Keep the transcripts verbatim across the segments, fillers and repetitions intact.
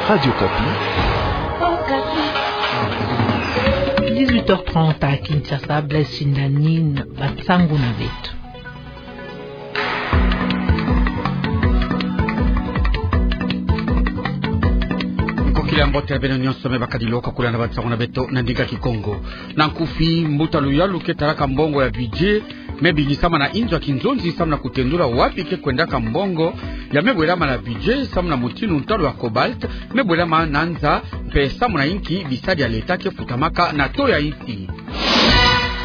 Radio Okapi. Dix-huit heures trente à Kinshasa, Blaise Shindani, bansangu na beto. Nkokila mbote ya beno nyonso me bakadilaka kulanda bansangu na beto na ndinga Kikongo. Na nkufi, mbuta luyalu ke talaka mbongo ya budget me bingisama na inzo ya kinzonzi samu na kutendula wapi ke kwendaka mbongo ya me bwelama na budget samu na mutinu ntalu ya cobalt me bwelama na nza, mpe samu na inki bisadi ya leta ke futamaka na taux ya insi.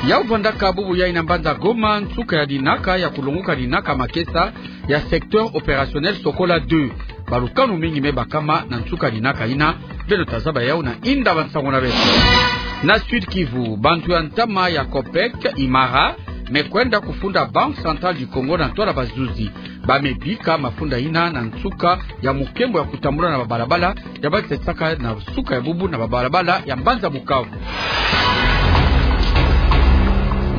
Yau vandaka bubu yai na mbanza Goma, nsuka ya dinaka ya kulonguka dinaka makesa ya secteur opérationnel Sokola deux. Balukanu mingi me bakama na nsuka ya dinaka ina. Beno ta zaba yau na inda bansangu na beto. Na Sud-Kivu, bantu ya ntama ya COPEC Imara me kwenda kufunda Banque Centrale du Congo na ntwala bazuzi. Ba me bika mafunda ina na nsuka ya mukembo ya kutambula na babalabala ya ba ke sasaka na nsuka ya bubu na babalabala ya mbanza Bukavu.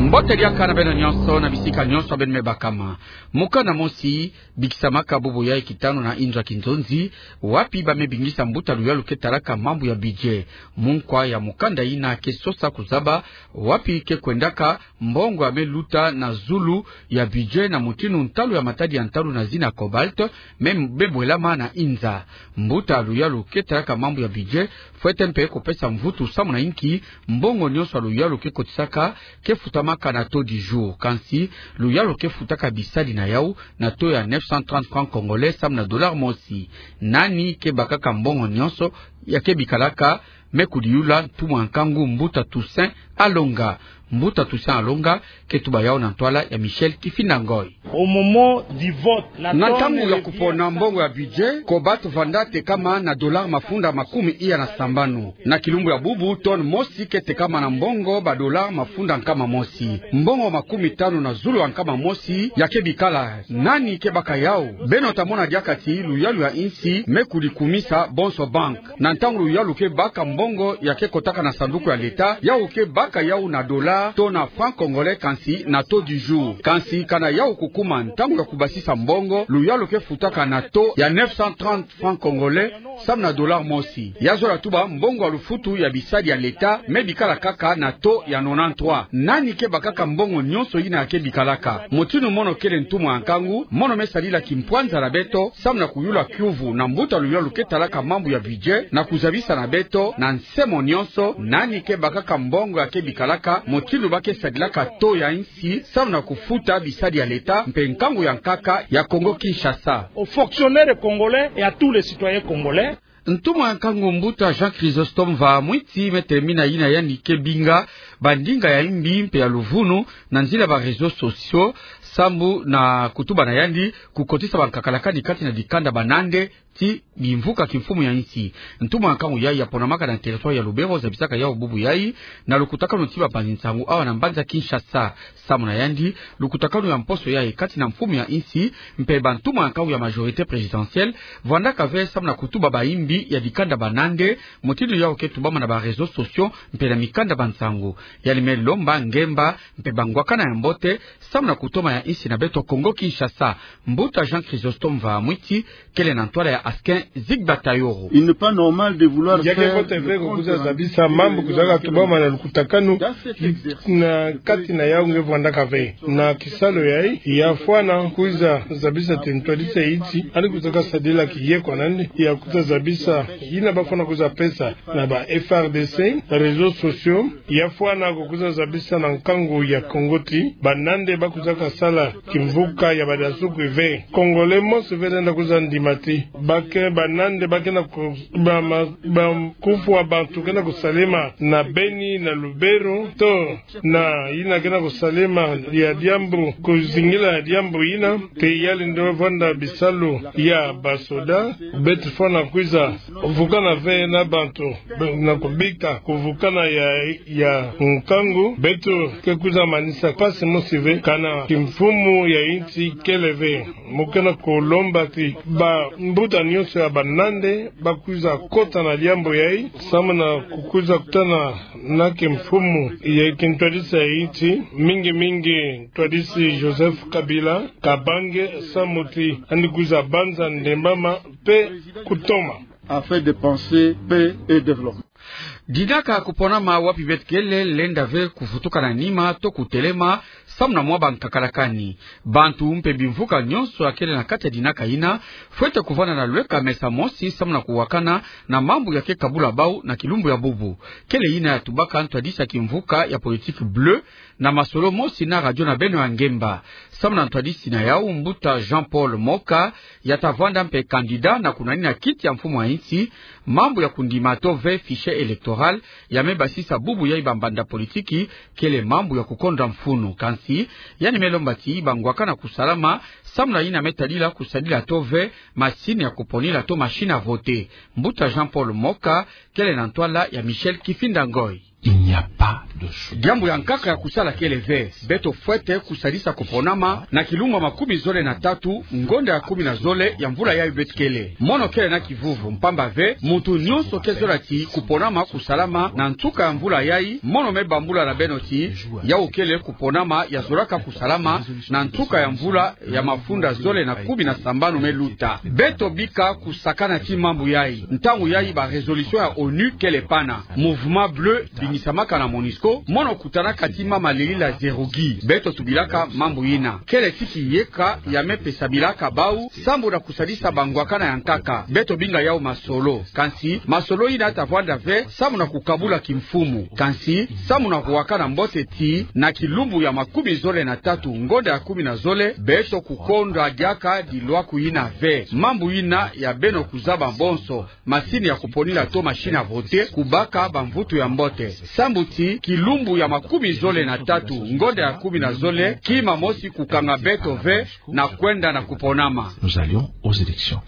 Mbote diaka na beno nyonso na bisika nyonso beno me bakama. Mukanda mosi bikisamaka bubu yai kitanu na inzo ya kinzonzi, wapi ba me bingisa mbuta luyalu ke talaka mambu ya budget. Munkwa ya mukanda ina ke sosa kuzaba wapi ke kwendaka mbongo ya me luta na zulu ya budget na mutinu ntalu ya matadi ya ntalu na zina cobalt me, me bwelama na inza. Mbuta luyalu ke talaka mambu ya budget fwete mpe kupesa mvutu samu na inki mbongo nyonso ya luyalu ke kotisaka ke futamaka na taux du jour. Kansi luyalu ke futaka bisadi na yau na taux ya neuf cent trente francs congolais samu na dollar mosi. Nani ke bakaka mbongo nyonso ya ke bikalaka? Me kudiyula ntumwa nkangu mbuta Toussaint Alonga. Mbuta Toussaint Alonga ke tuba yau na ntwala ya Michel Kifinda Ngoy. Au moment du vote, na ntangu ya kupona mbongo ya budget, cobalt vanda tekama na dollar mafunda makumi iya na sambanu. Na kilumbu ya bubu, tonne mosi ke tekama na mbongo ba dollar mafunda nkama mosi. Mbongo makumi tanu na zulu ya nkama mosi ya ke bikala. Nani ke baka yau? Beno ta mona diaka ti luyalu ya insi me kudikumisa bonso banque. Na ntangu luyalu ke baka mbongo ya ke kotaka na sanduku ya leta, yau ke baka yau na dollar to na franc congolais, kansi na taux du jour. Kansi kana yau kukuma ntangu ya kubasisa mbongo, luyalu ke futaka na taux ya neuf cent trente francs congolais samu na dollar mosi. Ya zola tuba mbongo ya lufutu ya bisadi ya leta me bikala kaka na taux ya nonante-trois. Nani ke bakaka mbongo nyonso ina ya ke bikalaka? Mutinu mono kele ntumwa nkangu, mono me sadila kimpwanza na beto samu na kuyula kiuvu na mbuta luyalu ke talaka mambu ya budget na kuzabisa na beto na nse mo nyonso nani ke bakaka mbongo ya ke bikalaka, mutinu ba ke sadilaka taux ya insi samu na kufuta bisadi ya leta mpe nkangu ya nkaka ya Congo Kinshasa. Aux fonctionnaires congolais et à tous les citoyens congolais. Ntumwa nkangu mbuta Jean Chrysostome Mvaa Mwiti me telemina yina yandi ke binga bandinga ya imbi mpe ya luvunu na nzila ba réseaux sociaux, sambu na kutuba na yandi kukotisa bankakalakani kati na dikanda banande ti bimvuka kimfumu ya insi. Ntumwa nkangu yai ya ponamaka na territoire ya Lubero zabisaka yau bubu yai na lukutakanu ti bapanzi nsangu awa na mbanza Kinshasa. Samu na yandi, lukutakanu ya mposo yai kati na mfumu ya insi mpe bantumwa nkangu ya majorité présidentielle vwandaka ve samu na kutuba baimbi ya dikanda banande, mutinu yau ke tubama na ba réseaux sociaux mpe na mikanda ba nsangu. Yandi me lomba ngemba mpe bangwakana ya mbote samu na kutoma ya insi na beto Congo Kinshasa. Mbuta Jean Chrysostome Mvaa Mwiti kele na ntwala ya Askin Zigba Tayoro. Il n'est pas normal de vouloir... Ya ke mbote ve kukuza zabisa mambu kuzaka tubama na lukutakanu na kati na yau nge vwandaka ve. Na kisalu yai, ya fwana kuiza zabisa ti ntwadisi ya insi, yandi kuizaka sadila kiye kwa nandi ya kuiza zabisa yina ba fwana kuiza pesa na ba F R D C, réseaux sociaux, ya fwana kukuiza zabisa na nkangu ya Congo ti banande ba kuizaka sala kimvuka ya badiasuku ve. Congolais mosi ve lenda kuiza ndima ti ba ke, banande ba ke na ku-, ba ma-, ba kufwa bantu ke na kusalema na Beni, na Lubero, to na yina ke na kusalema ya diambu, kuzingila ya diambu yina, ke yalenda vwanda bisalu ya basoda, beto fwana kuiza vukana ve na bantu, be-, na kubika kuvukana ya, ya nkangu, beto ke kuiza manisa mpasi mosi ve, kana kimfumu ya insi kele ve. Mu ke na kulomba ti bambuta nyonso ya banande ba kuiza kota na diambu yai, samu na kukuiza kutana na kimfumu ya kintwadisi ya insi, mingi mingi ntwadisi Joseph Kabila Kabange, samu ti yandi kuiza banza ndembama mpe kutoma. afin de penser paix et développement. Dinaka kuponama wapi beto kele lenda ve kuvutuka na nima to kutelema, samu na mwa ba nkakalakani. Bantu mpe bimvuka nyonso ya kele na kati ya dinaka yina, fwete kuvanda na lweka mesa mosi samu na kuwakana na mambu ya ke kabula bau na kilumbu ya bubu. Kele yina ya tubaka ntwadisi ya kimvuka ya politique bleue, na masolo mosi na radio na beno ya ngemba. Samu na ntwadisi na yau, mbuta Jean-Paul Moka, ya ta vwanda mpe candidat na kunanina kiti ya mfumu ya insi, mambu ya kundima to ve fichier électoral, ya me basisa bubu yayi ba mbanda politiki, kele mambu ya kukonda mfunu. Kansi, yandi me lomba ti ba ngwakana kusalama, samu na yina me tadila kusadila to ve masini ya kuponila to machine à voter. Mbuta Jean-Paul Moka, kele na ntwala ya Michel Kifinda Ngoy. Il n'y a pas de choix. Diambu ya nkaka ya kusala kele ve. Beto fwete kusadisa kuponama na kilumbu ya makumi zole na tatu, ngonda ya kumi na zole ya mvula yayi beto kele. Mono kele na kivuvu, mpamba ve, muntu nyonso ke zola ti kuponama kusalama na nsuka ya mvula yayi. Mono me bambula na beno ti, yau kele kuponama ya zolaka kusalama na nsuka ya mvula ya mafunda zole na kumi na sambanu me luta. Beto bika kusakana ti mambu yayi. Ntangu yayi ba résolution ya onu kele pana. Mouvement bleu bingisamaka na MONUSCO, mono kutanaka ti mama Lili Lazerugui. Beto tubilaka mambu yina. Kele ti kiyeka ya me pesamilaka bau, samu na kusadisa ba ngwakana ya nkaka. Beto binga yau masolo. Kansi, masolo yina ta vwanda ve, samu na kukabula kimfumu. Kansi, samu na kuwakana mbote ti, na kilumbu ya makumi zole na tatu, ngonda ya kumi na zole, beto kukonda diaka dilwaku yina ve. Mambu yina ya beno kuzaba bonso, masini ya kuponila to machine à voter, kubaka ba mvutu ya mbote. Samu ti, kilumbu ya makumi zole na tatu, ngonda ya kumi na zole, kima mosi kukanga beto ve, na kwenda na kuponama. Nous allions aux élections.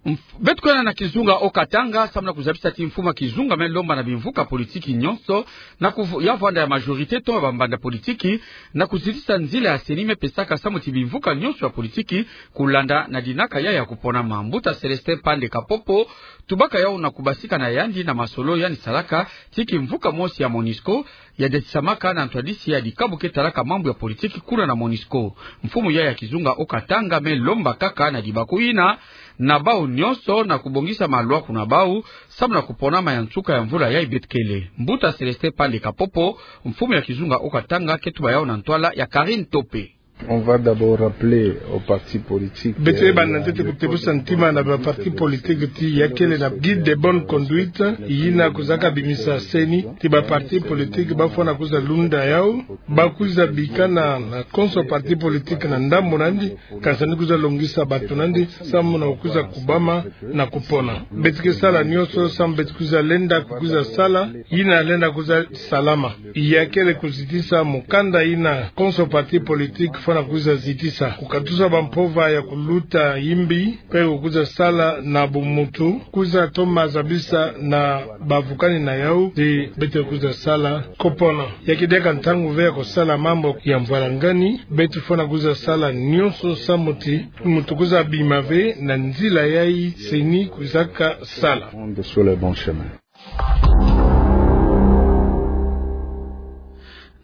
Mf-, beto kwenda na kizunga Haut-Katanga, samu na kuzabisa ti mfumu ya kizunga me lomba na bimvuka politiki nyonso, na kuvu-, ya vwanda ya majorité to ba mbanda politiki, na kuzitisa nzila ya CENI me pesaka samu ti bimvuka nyonso ya politiki, kulanda na dinaka yayi ya kuponama. Mbuta Célestin Pande Kapopo, tubaka yau na kubasika na yandi na masolo yandi salaka, ti kimvuka mosi ya MONUSCO, ya detisamaka na ntwadisi ya dikabu ke talaka mambu ya politiki kuna na MONUSCO. Mfumu yayi ya kizunga Haut-Katanga me lomba kaka na dibaku yina, na bau nyonso na kubongisa malwaku na bau, samu na kuponama ya nsuka ya mvula yayi beto kele. Mbuta Célestin Pande Kapopo, mfumu ya kizunga Haut-Katanga ke tuba yau na ntwala ya Karine Tope. On va d'abord rappeler aux partis politiques, beto, euh, banda ntete kutebusa ntima na ba partis politiques ti ya kele na guide de bonne conduite, yina kwiza kabimisa CENI, ti ba partis politiques bafwana kwiza lunda yau, ba kwiza bikana na konso parti politique na ndambu nandi, kansi ni kwiza longisa bantu nandi, samu na kwiza kubama na kupona. Beto ke sala nyonso, samu beto kwiza lenda, kwiza sala, yina lenda kwiza salama. Ya kele kuzitisa mukanda yina konso parti politique fwana kwiza zitisa. Kukatusa bampova ya kuluta yimbi, mpe kwiza sala na bumuntu, kwiza toma zabisa na bavukani na yau, ti beto kwiza sala kupona. Ya ke diaka ntangu ve ya kusala mambu ya mvwalangani, beto fwana kwiza sala nyonso samu ti muntu kwiza bima ve na nzila yayi CENI kwizaka sala. Sur le bon chemin.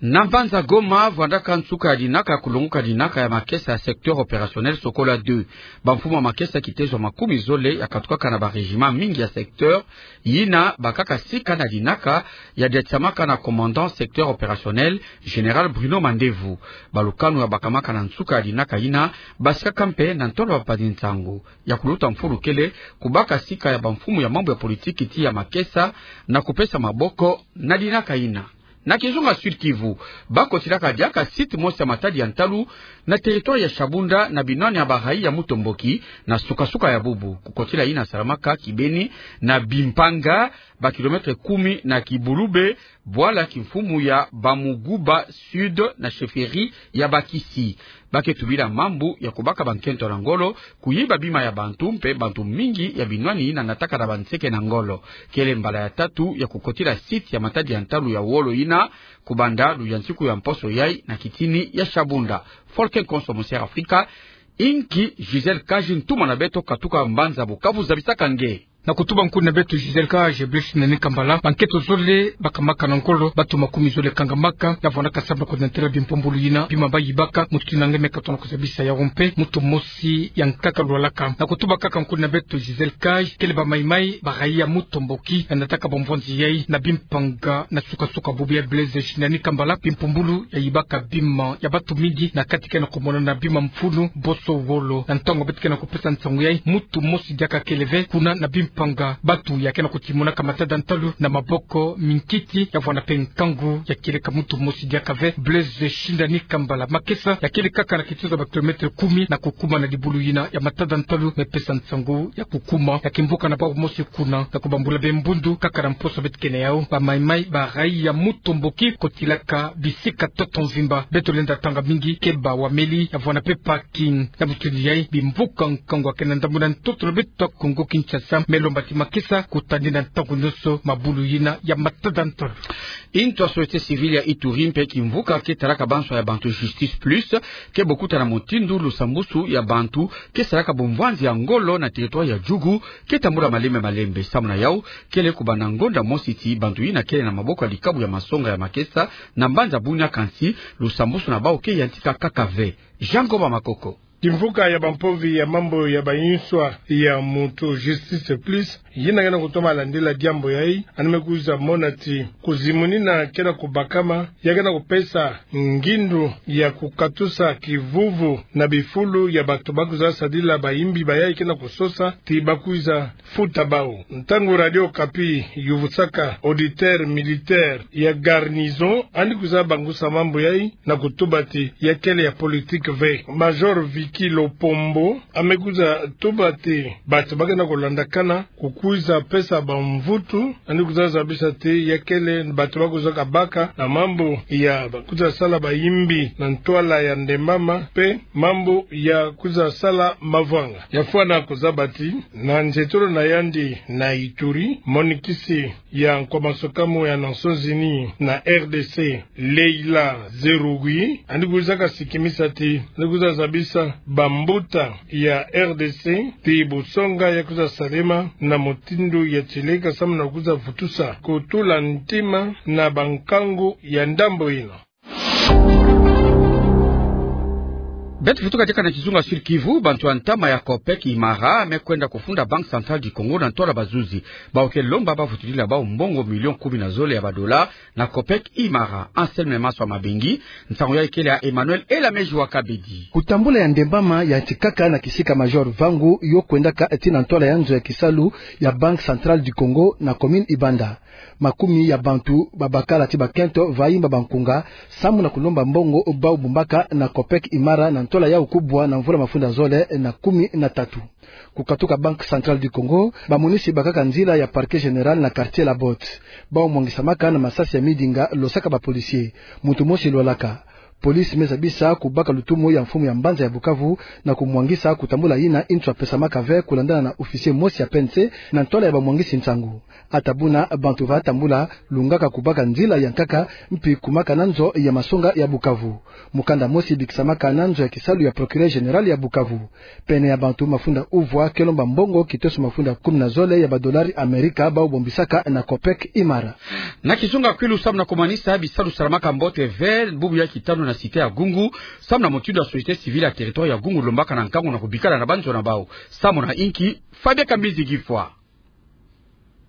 Na mbanza Goma, vwandaka nsuka ya dinaka kulongoka dinaka ya makesa ya secteur opérationnel Sokola deux. Bamfumu ya makesa kitezo makumi zole ya katukaka na ba régiments mingi ya secteur, yina bakaka sika na dinaka ya detisamaka na commandant secteur opérationnel, général Bruno Mandevu. Balukanu ya bakamaka na nsuka ya dinaka yina, basikaka mpe na ntolo ya bampangi-nsangu. Ya kuluta mfulu kele, kubaka sika ya bamfumu ya mambu ya politiki ti ya makesa, na kupesa maboko na dinaka yina. Na kizunga Sud-Kivu, bakotilaka diaka site mosi ya matadi ya ntalu na territoire ya Shabunda na binwani ya barayi ya Mutomboki na suka-suka ya bubu. Kukotila yina salamaka kibeni na Bimpanga, ba kilomètres kumi na Kibulube, bwala kimfumu ya Bamuguba Sud na chefferie ya Bakisi. Ba ke tubila mambu ya kubaka bankento na ngolo, kuyiba bima ya bantu mpe bantu mingi ya binwani yina nataka na banseke na ngolo. Kele mbala ya tatu ya kukotila site ya matadi ya ntalu ya wolo yina, kubanda luyantiku ya mposo yayi na kitini ya Shabunda. Volker Konso, Monser Afrika, inki Gisèle Kaji ntuma na beto katuka mbanza Bukavu zabisaka nge. Na kutuba nkuni na beto Gisèle Cage, Blaise Shindani Kambala, bankento zole bakamaka na ngolo, bato makumi zole kangamaka, ya vwandaka sambila kudentela bimpombulu yina bima bayibaka, mutu kinanga me katona kuzabisa yawu mpe mutu mosi ya nkaka lwalaka. Na kutuba kaka nkuni na beto Gisèle Cage, kele bamaimai ba raia Mutomboki, ya nataka bamvwanzi yayi na bimpanga na sukasuka bubu ya Blaise Shindani Kambala, bimpombulu yayibaka bima ya bato mingi, na kati ke na kumonana bima mfunu boso wolo. Na ntangu beto ke na kupesa nsangu yayi, mutu mosi diaka kele ve kuna na bimpanga, bato ya ke na kutimonaka matada ntalu na maboko minkiti, ya vwanda mpe nkangu ya kieleka mutu mosi diaka ve Blaise Shindani Kambala. Makesa ya kele kaka na kituza ba kilomètre kumi na kukuma na dibulu yina ya matada ntalu, me pesa nsangu ya kukuma ya kimvuka na bawu mosi kuna, na kubambula be mbundu kaka na mposo beto ke na yawu. Bamaimai ba raia Mutomboki kotilaka bisika ntoto mvimba. Beto lenda tanga mingi keba wameli, ya vwanda mpe parking. Na mutindu yayi, bimvuka nkangu ya ke na ndambu na ntoto na beto Kongo Kinshasa, me lomba ti makesa kutani na ntangu nyonso mabulu yina ya matada ntalu. Ntu ya société civile ya Ituri mpe kimvuka ke talaka banswa ya bantu Justice Plus, ke bokuta na mutindu lusambusu ya bantu ke salaka bamvwanzi ya ngolo na territoire ya Djugu ke tambula malembe malembe. Samu na yawu, kele kubanda ngonda mosi ti bantu yina kele na maboko ya likabu ya masonga ya makesa na mbanza Bunia, kansi lusambusu na bawu ke yantika kaka ve. Jean Ngoba Makoko. Kimvuka ya bampovi ya mambu ya banswa ya mutu Justice Plus, yina ke na kutoma landila diambu yayi, yandi me kwiza mona ti kuzimunina ke na kubakama, ya ke na kupesa ngindu ya kukatusa kivuvu na bifulu ya bato ba kwiza sadila bayimbi bayayi ke na kusosa ti ba kwiza futa bawu. Ntangu Radio Okapi yuvusaka auditeur militaire ya garnison, yandi kwiza bangusa mambu yayi na kutuba ti ya kele ya politique ve. Major Vicky Lopombo ame kwiza tuba ti bato ba ke na kulandakana kukwiza pesa bamvutu, yandi kwiza zabisa ti ya kele bato ba kwiza kabaka na mambu ya ba kwiza sala bayimbi na ntwala ya Ndembama, mpe mambu ya kwiza sala mavwanga. Ya fwana kuzaba ti na nzietolo na yandi na Ituri, monikisi ya Nkwa Masokamu ya Nations Unies na R D C, Leila Zerrougui, yandi kwiza kasikimisa ti yandi kwiza zabisa bambuta ya R D C ti busonga ya kwiza salema na mutindu ya tieleka samu na kwiza vutusa kutula ntima na bankangu ya ndambu yina. Beto vutuka diaka na kizunga Sud-Kivu, bantu ya ntama ya COPEC Imara me kwenda kufunda Banque Centrale du Congo na ntwala bazuzi. Bawu ke lomba ba vutulila bawu mbongo million kumi na zole ya badola na COPEC Imara. Anselme Maswa Mabengi, nsangu yayi kele ya Emmanuel Elameji wa Kabedi. Kutambula ya Ndembama yantikaka na kisika Major Vangu yo kwendaka tii na ntwala ya nzo ya kisalu ya Banque Centrale du Congo na commune Ibanda. Makumi ya bantu babakala ti bakento va yimba bankunga samu na kulomba mbongo bawu bumbaka na COPEC Imara na ntwala yawu kubwa na mvula mafunda zole na kumi na tatu. Kukatuka Banque Centrale du Congo, bamonisi bakaka nzila ya Parquet Général na quartier La Botte. Bawu mwangisamaka na masasi ya midinga losaka ba policiers. Muntu mosi lwalaka. Police me zabisa kubaka lutumu ya mfumu ya mbanza ya Bukavu na kumwangisa kutambula yina ntu apesamaka ve, kulandana na officier mosi ya P N C na ntwala ya bamwangisi nsangu. Ata buna bantu va tambula lungaka kubaka nzila ya nkaka mpi kumaka na nzo ya masonga ya Bukavu. Mukanda mosi bikisamaka na nzo ya kisalu ya Procureur Général ya Bukavu. Pene ya bantu mafunda uvwa ke lomba mbongo kitoso mafunda kumi na zole ya badolari Amerika bawu bombisaka na COPEC Imara. Na kizunga Kwilu, samu na kumanisa bisalu salamaka mbote ve bubu ya kitanu na cité ya Gungu, samu na mutindu ya société civile ya territoire ya Gungu lombaka na nkangu na kubikala na banzo na bawu. Samu na inki, Fabien Kambizi Gifwa.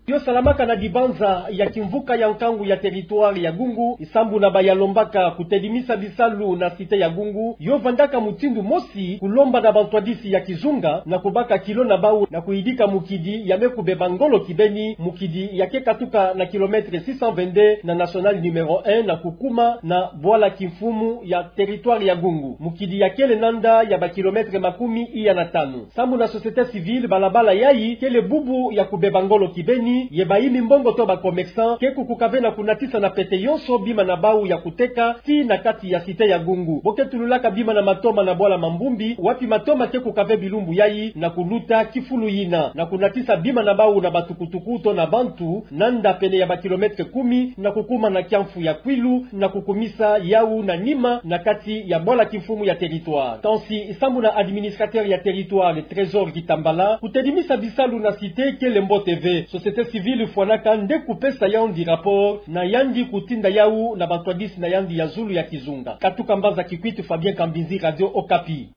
Yo salamaka na dibanza ya kimvuka ya nkangu ya territoire ya Gungu, sambu na baya lombaka kutedimisa bisalu na cité ya Gungu, yo vandaka mutindu mosi kulomba na bantwadisi ya kizunga na kubaka kilo na bawu na kuyidika mukidi ya me kubeba ngolo kibeni, mukidi ya ke katuka na kilomètre six cent vingt-deux na nationale numéro un na kukuma na bwala kimfumu ya territoire ya Gungu, mukidi ya kele nanda ya bakilomètre makumi iya na tanu. Sambu na société civile, balabala yayi kele bubu ya kubeba ngolo kibeni, ye bayimi mbongo to ba commerçants ke kukukave na kunatisa na pete yonso bima na bau ya kuteka tii na kati ya cité ya Gungu. Bo ke tululaka bima na matoma na bwala Mambumbi, wapi matoma ke kukave bilumbu yayi na kuluta kifulu yina, na kunatisa bima na bau na batukutuku to na bantu, nanda pene ya ba kilomètre kumi, na kukuma na kiamfu ya Kwilu, na kukumisa yau na nima na kati ya bwala kimfumu ya territoire. Kansi, sambu na administrateur ya territoire, Trésor Kitambala, kutelimisa bisalu na cité kele mbote ve. Société civile fwanaka nde kupesa yandi rapport, na yandi kutinda yau na bantwadisi na yandi ya zulu ya kizunga. Katuka mbanza Kikwit, Fabien Kambinzi, Radio Okapi.